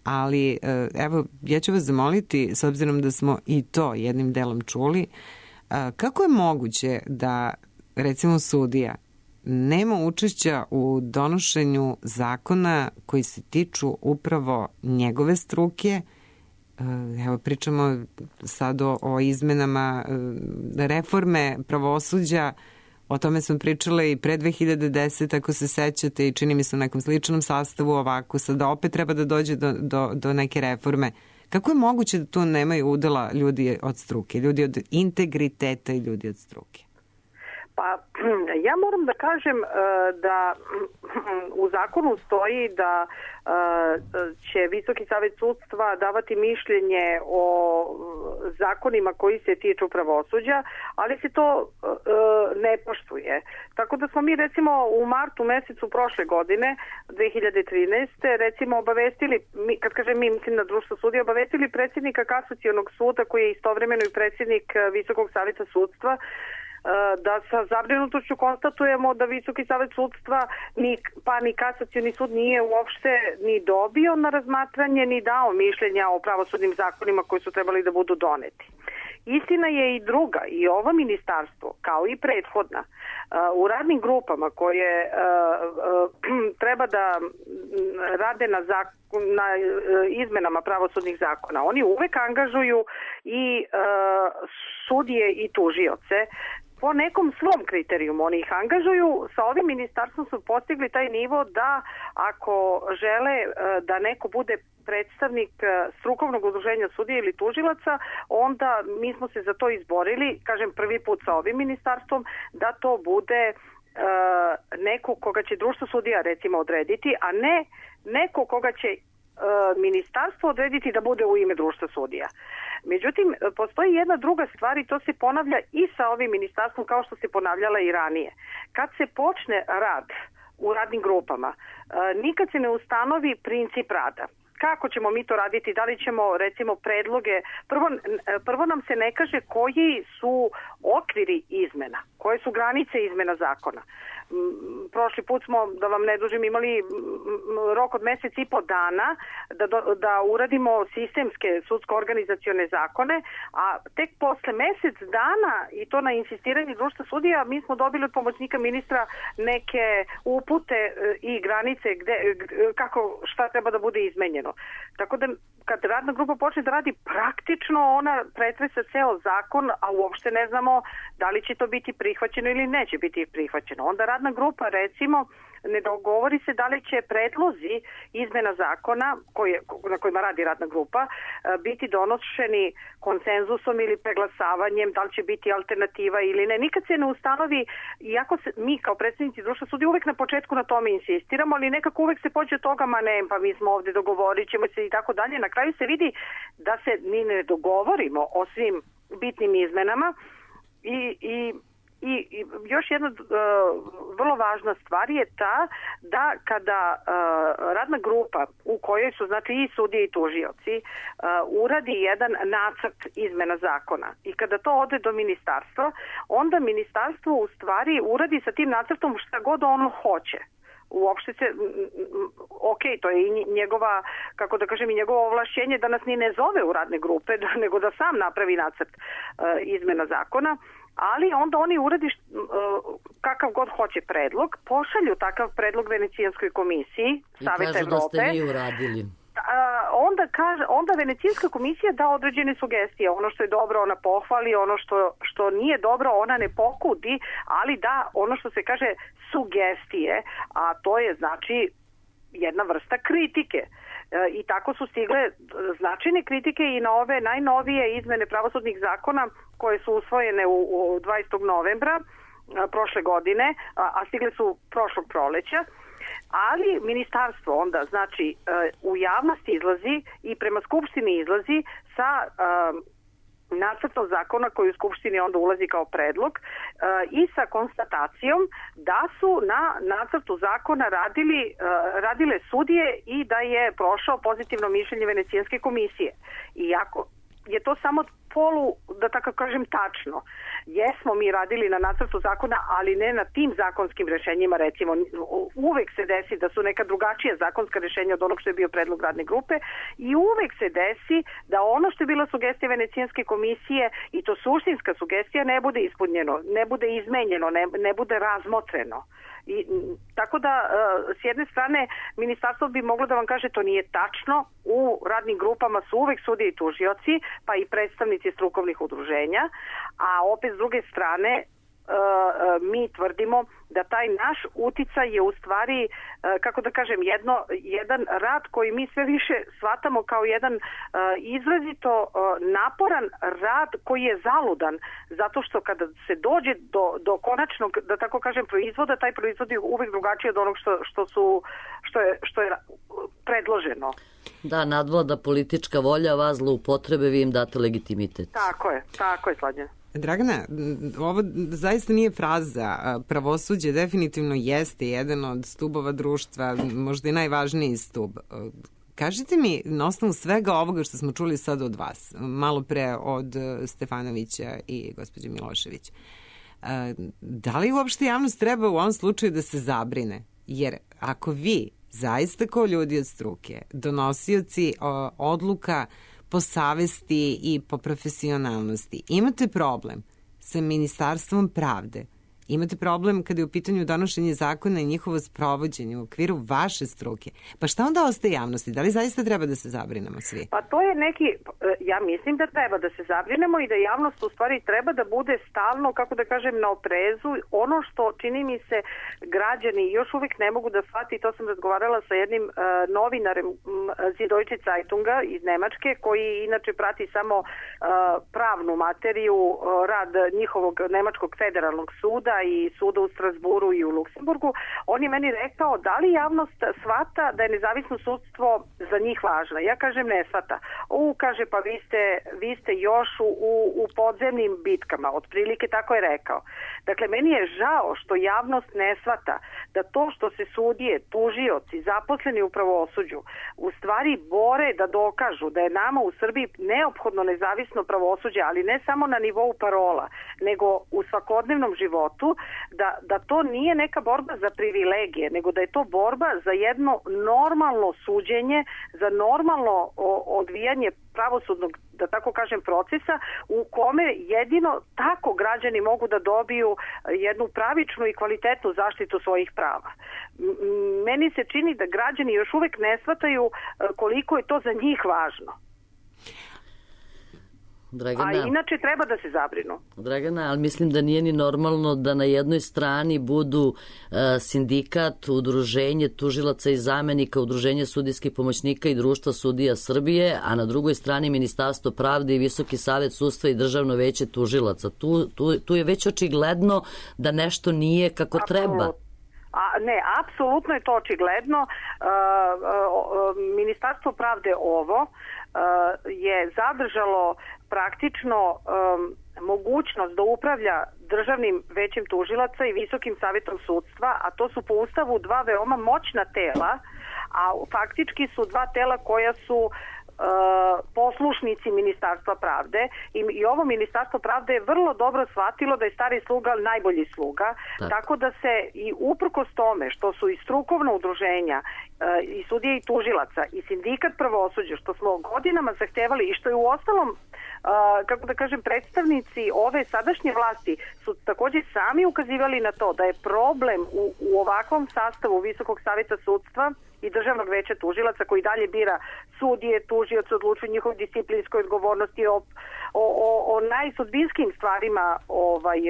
Ali, evo, ja ću vas zamoliti, s obzirom da smo i to jednim delom čuli, kako je moguće da, recimo, sudija nema učešća u donošenju zakona koji se tiču upravo njegove struke. Evo, pričamo sad o izmenama reforme pravosuđa, o tome smo pričale i pre 2010, ako se sećate, i čini mi se u nekom sličnom sastavu ovako, sada opet treba da dođe do neke reforme. Kako je moguće da tu nemaju udela ljudi od struke, ljudi od integriteta i ljudi od struke? Pa ja moram da kažem da u zakonu stoji da će Visoki savet sudstva davati mišljenje o zakonima koji se tiču pravosuđa, ali se to ne poštuje. Tako da smo mi recimo u martu mesecu prošle godine, 2013. recimo obavestili, kad kažem mi, mislim na Društvo sudija, obavestili predsjednika Kasacionog suda koji je istovremeno i predsjednik Visokog saveta sudstva, da sa zabrinutošću konstatujemo da Visoki savet sudstva pa ni Kasacioni sud nije uopšte ni dobio na razmatranje ni dao mišljenja o pravosudnim zakonima koji su trebali da budu doneti. Istina je i druga, i ovo ministarstvo, kao i prethodna, u radnim grupama koje treba da rade na izmenama pravosudnih zakona, oni uvek angažuju i sudije i tužioce po nekom svom kriterijumu. Oni ih angažuju. Sa ovim ministarstvom su postigli taj nivo da ako žele da neko bude predstavnik strukovnog udruženja sudija ili tužilaca, onda mi smo se za to izborili, kažem prvi put sa ovim ministarstvom, da to bude neko koga će Društvo sudija recimo odrediti, a ne neko koga će ministarstvo odrediti da bude u ime Društva sudija. Međutim, postoji jedna druga stvar i to se ponavlja i sa ovim ministarstvom kao što se ponavljala i ranije. Kad se počne rad u radnim grupama, nikad se ne ustanovi princip rada. Kako ćemo mi to raditi? Da li ćemo, recimo, predloge... Prvo nam se ne kaže koji su okviri izmena, koje su granice izmena zakona. prošli put smo, da vam ne dužim, imali rok od mesec i po dana da uradimo sistemske sudsko-organizacione zakone, a tek posle mesec dana, i to na insistiranje društva sudija, mi smo dobili od pomoćnika ministra neke upute i granice kako šta treba da bude izmenjeno. Tako da kad radna grupa počne da radi praktično, ona pretresa ceo zakon, a uopšte ne znamo da li će to biti prihvaćeno ili neće biti prihvaćeno. Onda radna grupa, recimo, ne dogovori se da li će predlozi izmena zakona na kojima radi radna grupa biti donošeni konsenzusom ili preglasavanjem, da li će biti alternativa ili ne. Nikad se ne ustanovi, iako mi kao predstavnici društva sudija uvek na početku na tome insistiramo, ali nekako uvek se pođe od toga, ma ne, pa mi smo ovde, dogovorit ćemo se i tako dalje. Na kraju se vidi da se mi ne dogovorimo o svim bitnim izmenama i još jedna vrlo važna stvar je ta da kada radna grupa u kojoj su znači i sudije i tužioci uradi jedan nacrt izmena zakona i kada to ode do ministarstva, onda ministarstvo u stvari uradi sa tim nacrtom šta god ono hoće. Uopšte se, ok, to je i njegova, kako da kažem, i njegovo ovlašćenje da nas ni ne zove u radne grupe, nego da sam napravi nacrt izmena zakona, ali onda oni uradi kakav god hoće predlog, pošalju takav predlog Venecijanskoj komisiji Saveta Evrope. I kažu da ste vi uradili. Onda Venecijanska komisija da određene sugestije. Ono što je dobro ona pohvali, ono što nije dobro ona ne pokudi, ali da ono što se kaže sugestije, a to je znači jedna vrsta kritike. I tako su stigle značajne kritike i na ove najnovije izmene pravosudnih zakona koje su usvojene u 20. novembra prošle godine, a stigle su prošlog proleća. Ali ministarstvo onda, znači, u javnosti izlazi i prema Skupštini izlazi sa nacrtom zakona koji u Skupštini onda ulazi kao predlog i sa konstatacijom da su na nacrtu zakona radile sudije i da je prošao pozitivno mišljenje Venecijanske komisije. Iako je to samo da tako kažem tačno. Jesmo mi radili na nacrtu zakona, ali ne na tim zakonskim rešenjima, recimo. Uvek se desi da su neka drugačija zakonska rešenja od onog što je bio predlog radne grupe i uvek se desi da ono što je bila sugestija Venecijanske komisije i to suštinska sugestija ne bude ispunjeno, ne bude izmenjeno, ne bude razmotreno. Tako da, s jedne strane, ministarstvo bi moglo da vam kaže to nije tačno, u radnim grupama su uvek sudije i tužioci, pa i predstavnici strukovnih udruženja, a opet s druge strane mi tvrdimo da taj naš uticaj je u stvari, kako da kažem, jedan rad koji mi sve više shvatamo kao jedan izrazito naporan rad koji je zaludan, zato što kada se dođe do konačnog, da tako kažem, proizvoda, taj proizvod je uvek drugačiji od onog što je predloženo. Da, nadvlada politička volja, vas zloupotrebe, vi im date legitimitet. Tako je, Slađana. Dragana, ovo zaista nije fraza. Pravosuđe definitivno jeste jedan od stubova društva, možda i najvažniji stub. Kažite mi, na osnovu svega ovoga što smo čuli sad od vas, malo pre od Stefanovića i gospođe Milošević, da li uopšte javnost treba u ovom slučaju da se zabrine? Jer ako vi, zaista kao ljudi od struke, donosioci odluka po savesti i po profesionalnosti, imate problem sa Ministarstvom pravde, imate problem kada je u pitanju donošenje zakona i njihovo sprovođenje u okviru vaše struke, pa šta onda ostaje javnosti? Da li zaista treba da se zabrinemo svi? Pa to je ja mislim da treba da se zabrinemo i da javnost u stvari treba da bude stalno, kako da kažem, na oprezu. Ono što čini mi se građani još uvijek ne mogu da shvati, to sam razgovarala sa jednim novinarem Süddeutsche Zeitunga iz Nemačke, koji inače prati samo pravnu materiju, rad njihovog nemačkog federalnog suda i suda u Strasburu i u Luksemburgu. On je meni rekao da li javnost shvata da je nezavisno sudstvo za njih važno. Ja kažem ne shvata. Kaže pa vi ste još u podzemnim bitkama. Otprilike tako je rekao. Dakle, meni je žao što javnost ne shvata da to što se sudije, tužioci, zaposleni u pravosuđu u stvari bore da dokažu da je nama u Srbiji neophodno nezavisno pravosuđe, ali ne samo na nivou parola, nego u svakodnevnom životu, sindikatu da to nije neka borba za privilegije, nego da je to borba za jedno normalno suđenje, za normalno odvijanje pravosudnog, da tako kažem, procesa u kome jedino tako građani mogu da dobiju jednu pravičnu i kvalitetnu zaštitu svojih prava. Meni se čini da građani još uvek ne shvataju koliko je to za njih važno. Dragana, a inače treba da se zabrinu. Dragana, ali mislim da nije ni normalno da na jednoj strani budu sindikat, udruženje tužilaca i zamenika, udruženje sudijskih pomoćnika i društva sudija Srbije, a na drugoj strani Ministarstvo pravde i Visoki savet sudstva i Državno veće tužilaca. Tu je već očigledno da nešto nije kako treba. Ne, apsolutno je to očigledno. Ministarstvo pravde je zadržalo praktično mogućnost da upravlja Državnim većem tužilaca i Visokim savetom sudstva, a to su po Ustavu dva veoma moćna tela, a faktički su dva tela koja su poslušnici Ministarstva pravde i ovo Ministarstvo pravde je vrlo dobro shvatilo da je stari sluga najbolji sluga, tako da se i uprkos tome što su i strukovna udruženja i sudije i tužilaca i sindikat pravosuđa, što smo godinama zahtevali i što je u ostalom kako da kažem, predstavnici ove sadašnje vlasti su također sami ukazivali na to da je problem u ovakvom sastavu Visokog saveta sudstva i Državnog veća tužilaca koji dalje bira sudije, tužioce, odlučuju njihovoj disciplinskoj odgovornosti, o najsudbinskim stvarima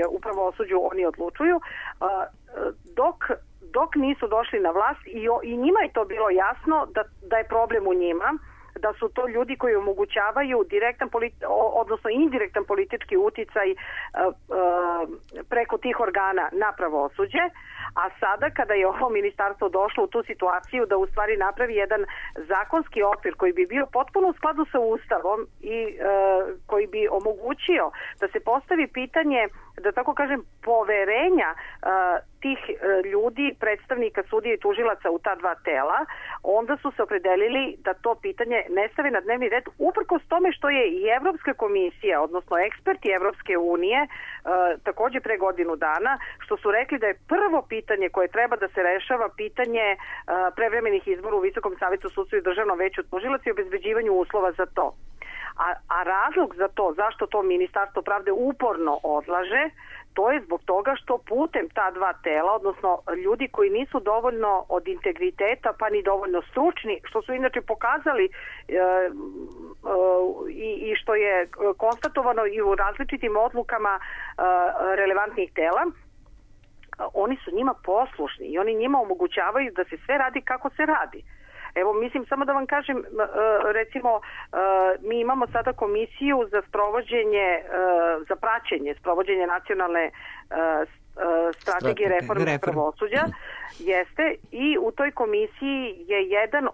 u pravosuđu oni odlučuju, dok nisu došli na vlast i njima je to bilo jasno da je problem u njima, da su to ljudi koji omogućavaju direktan odnosno indirektan politički uticaj preko tih organa na pravosuđe, a sada kada je ovo ministarstvo došlo u tu situaciju da u stvari napravi jedan zakonski okvir koji bi bio potpuno u skladu sa Ustavom i koji bi omogućio da se postavi pitanje, da tako kažem, poverenja tih ljudi, predstavnika sudije i tužilaca u ta dva tela, onda su se opredelili da to pitanje ne stave na dnevni red, uprkos tome što je i Evropska komisija, odnosno eksperti Evropske unije, također pre godinu dana, što su rekli da je prvo pitanje koje treba da se rešava pitanje prevremenih izbora u Visokom savetu sudstva i Državnom veću tužilaca i obezbeđivanju uslova za to. A razlog za to, zašto to Ministarstvo pravde uporno odlaže, to je zbog toga što putem ta dva tela, odnosno ljudi koji nisu dovoljno od integriteta pa ni dovoljno stručni, što su inače pokazali i što je konstatovano i u različitim odlukama relevantnih tela, oni su njima poslušni i oni njima omogućavaju da se sve radi kako se radi. Evo, mislim, samo da vam kažem, recimo, mi imamo sada komisiju za sprovođenje, za praćenje sprovođenja nacionalne strategije reforme pravosuđa, jeste, i u toj komisiji je jedan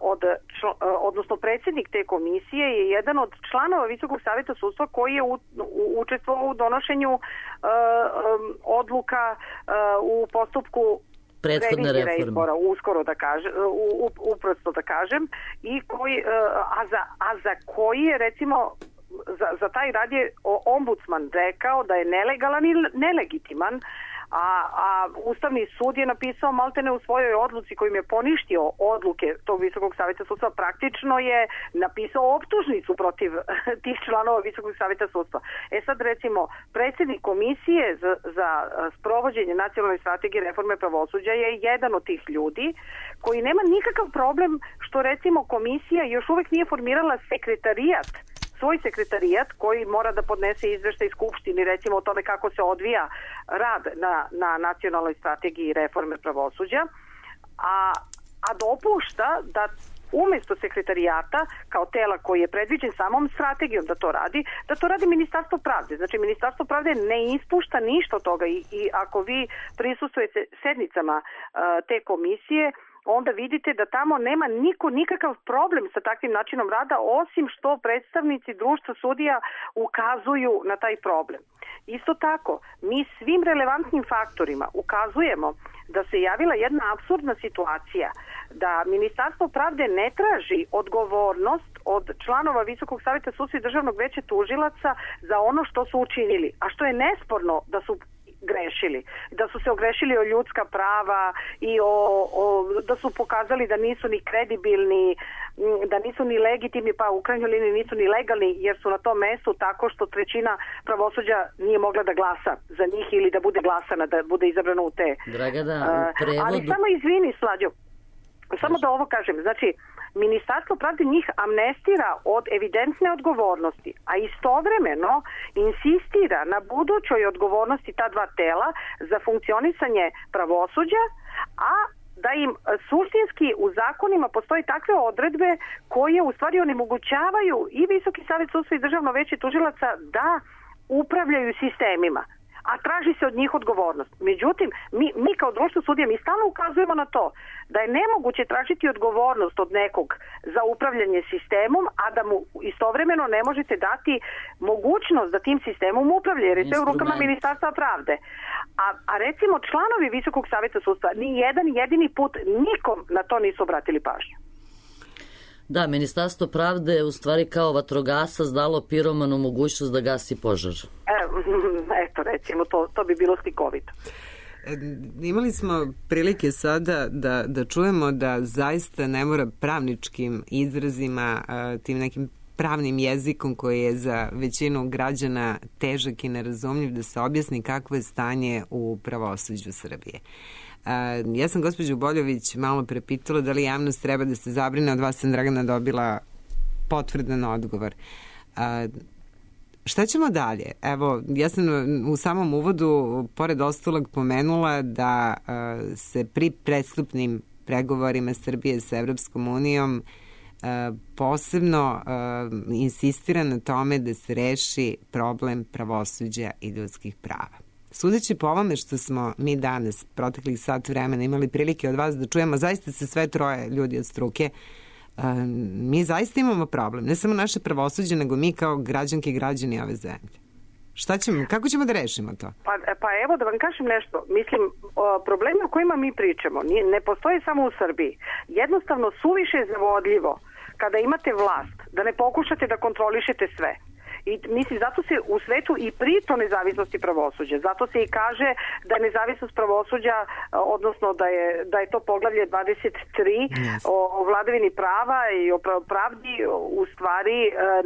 odnosno predsjednik te komisije je jedan od članova Visokog saveta sudstva koji je učestvovao u donošenju odluka u postupku prethodne reforme, uskoro da kažem, uprosto da kažem, i koji, a za koji je, recimo, za taj rad je ombudsman rekao da je nelegalan i nelegitiman, a Ustavni sud je napisao maltene u svojoj odluci kojim je poništio odluke tog Visokog saveta sudstva, praktično je napisao optužnicu protiv tih članova Visokog saveta sudstva. Sad, recimo, predsjednik komisije za sprovođenje nacionalne strategije reforme pravosuđa je jedan od tih ljudi koji nema nikakav problem što, recimo, komisija još uvek nije formirala svoj sekretarijat koji mora da podnese izveštaj Skupštini, recimo, o tome kako se odvija rad na nacionalnoj strategiji reforme pravosuđa, a dopušta da umesto sekretarijata, kao tela koji je predviđen samom strategijom da to radi Ministarstvo pravde. Znači, Ministarstvo pravde ne ispušta ništa od toga i ako vi prisustujete sednicama te komisije, onda vidite da tamo nema niko nikakav problem sa takvim načinom rada, osim što predstavnici društva sudija ukazuju na taj problem. Isto tako, mi svim relevantnim faktorima ukazujemo da se javila jedna apsurdna situacija, da Ministarstvo pravde ne traži odgovornost od članova Visokog saveta sudstva i Državnog veća tužilaca za ono što su učinili, a što je nesporno da su grešili. Da su se ogrešili o ljudska prava i da su pokazali da nisu ni kredibilni, da nisu ni legitimni, pa u krajnjoj liniji nisu ni legalni, jer su na tom mestu tako što trećina pravosuđa nije mogla da glasa za njih ili da bude glasana, da bude izabrana u te. Dragana, u prevodu... Ali samo izvini, Slađo, samo da ovo kažem, znači, Ministarstvo pravde njih amnestira od evidentne odgovornosti, a istovremeno insistira na budućoj odgovornosti ta dva tela za funkcionisanje pravosuđa, a da im suštinski u zakonima postoji takve odredbe koje u stvari onemogućavaju i Visoki savet sudstva i Državno veće tužilaca da upravljaju sistemima, a traži se od njih odgovornost. Međutim, mi kao društvo sudija, mi stalno ukazujemo na to da je nemoguće tražiti odgovornost od nekog za upravljanje sistemom, a da mu istovremeno ne možete dati mogućnost da tim sistemom upravlja, jer je to u rukama Ministarstva pravde. A recimo članovi Visokog saveta sudstva ni jedan jedini put nikom na to nisu obratili pažnju. Da, Ministarstvo pravde je u stvari kao vatrogasac dalo piromanu mogućnost da gasi požar. Eto, recimo, to bi bilo slikovito. Imali smo prilike sada da čujemo da zaista ne mora pravničkim izrazima, tim nekim pravnim jezikom koji je za većinu građana težak i nerazumljiv, da se objasni kakvo je stanje u pravosuđu Srbije. Ja sam gospođu Boljović malo prepitala da li javnost treba da se zabrine, od vas sam, Dragana, dobila potvrdan odgovor. Šta ćemo dalje? Evo, ja sam u samom uvodu pored ostalog pomenula da se pri prestupnim pregovorima Srbije sa Evropskom unijom posebno insistira na tome da se reši problem pravosuđa i ljudskih prava. Sudeći po ovome što smo mi danas, proteklih sat vremena, imali prilike od vas da čujemo, zaista se sve troje ljudi od struke, mi zaista imamo problem. Ne samo naše pravosuđe, nego mi kao građanke i građani ove zemlje. Šta ćemo, kako ćemo da rešimo to? Pa evo da vam kažem nešto. Mislim, problemi o kojima mi pričamo ne postoje samo u Srbiji. Jednostavno suviše je zavodljivo kada imate vlast da ne pokušate da kontrolišete sve. I mislim, zato se u svetu i priča o nezavisnosti pravosuđa. Zato se i kaže da je nezavisnost pravosuđa, odnosno da je to poglavlje 23 o vladavini prava i o pravdi u stvari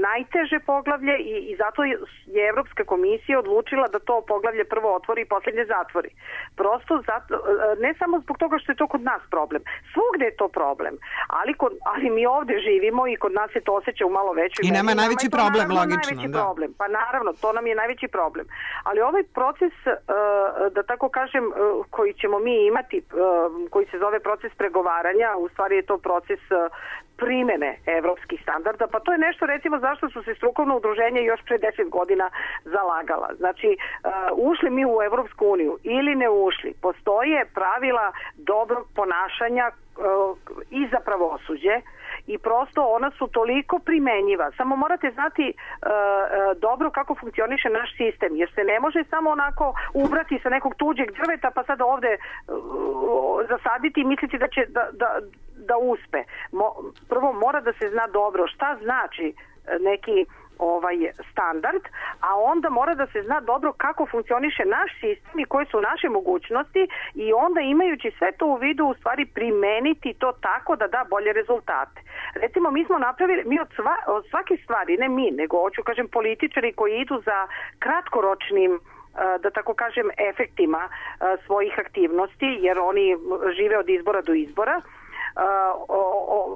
najteže poglavlje i zato je Evropska komisija odlučila da to poglavlje prvo otvori i posljednje zatvori. Prosto zato, ne samo zbog toga što je to kod nas problem. Svugde je to problem. Ali mi ovde živimo i kod nas se to osjeća u malo većoj meri. I nama je najveći problem, logično. Problem. Pa naravno, to nam je najveći problem. Ali ovaj proces, da tako kažem, koji ćemo mi imati, koji se zove proces pregovaranja, u stvari je to proces primene evropskih standarda, pa to je nešto, recimo, zašto su se strukovno udruženje još pre 10 godina zalagala. Znači, ušli mi u Evropsku uniju ili ne ušli, postoje pravila dobrog ponašanja i za pravosuđe i prosto ona su toliko primenjiva. Samo morate znati dobro kako funkcioniše naš sistem, jer se ne može samo onako ubrati sa nekog tuđeg drveta pa sada ovde zasaditi i misliti da će da uspe. Prvo mora da se zna dobro šta znači neki standard, a onda mora da se zna dobro kako funkcioniše naš sistem i koje su naše mogućnosti i onda imajući sve to u vidu u stvari primeniti to tako da da bolje rezultate. Recimo mi smo napravili, mi od svake stvari, ne mi, nego hoću kažem političari koji idu za kratkoročnim da tako kažem efektima svojih aktivnosti, jer oni žive od izbora do izbora,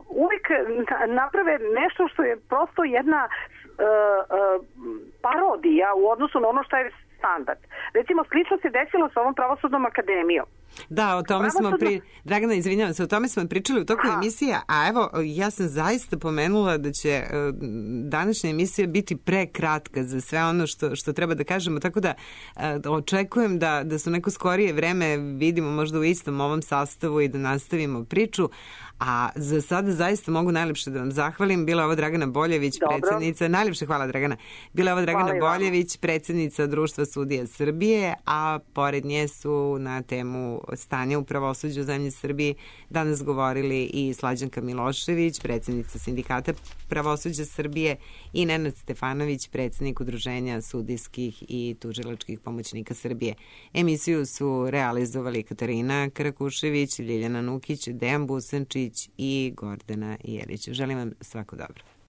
uvijek naprave nešto što je prosto jedna parodija u odnosu na ono što je standard. Recimo, slično se desilo sa ovom pravosudnom akademijom. Da, o tome smo Dragana, izvinjavam se, o tome smo pričali u toku emisije, a evo, ja sam zaista pomenula da će današnja emisija biti prekratka za sve ono što treba da kažemo, tako da očekujem da su neko skorije vreme vidimo možda u istom ovom sastavu i da nastavimo priču, a za sada zaista mogu najlepše da vam zahvalim. Bila je ovo Dragana Boljević, predsjednica, najlepše hvala Dragana, bila je ovo Dragana Boljević, predsjednica Društva sudija Srbije, a pored nje su na temu stanja u pravosuđu u zemlji Srbiji danas govorili i Slađanka Milošević, predsjednica Sindikata pravosuđa Srbije, i Nenad Stefanović, predsjednik Udruženja sudijskih i tužilačkih pomoćnika Srbije. Emisiju su realizovali Katarina Karakušević, Ljiljana Nukić, Dejan Busančić i Gordana Jelić. Želim vam svako dobro.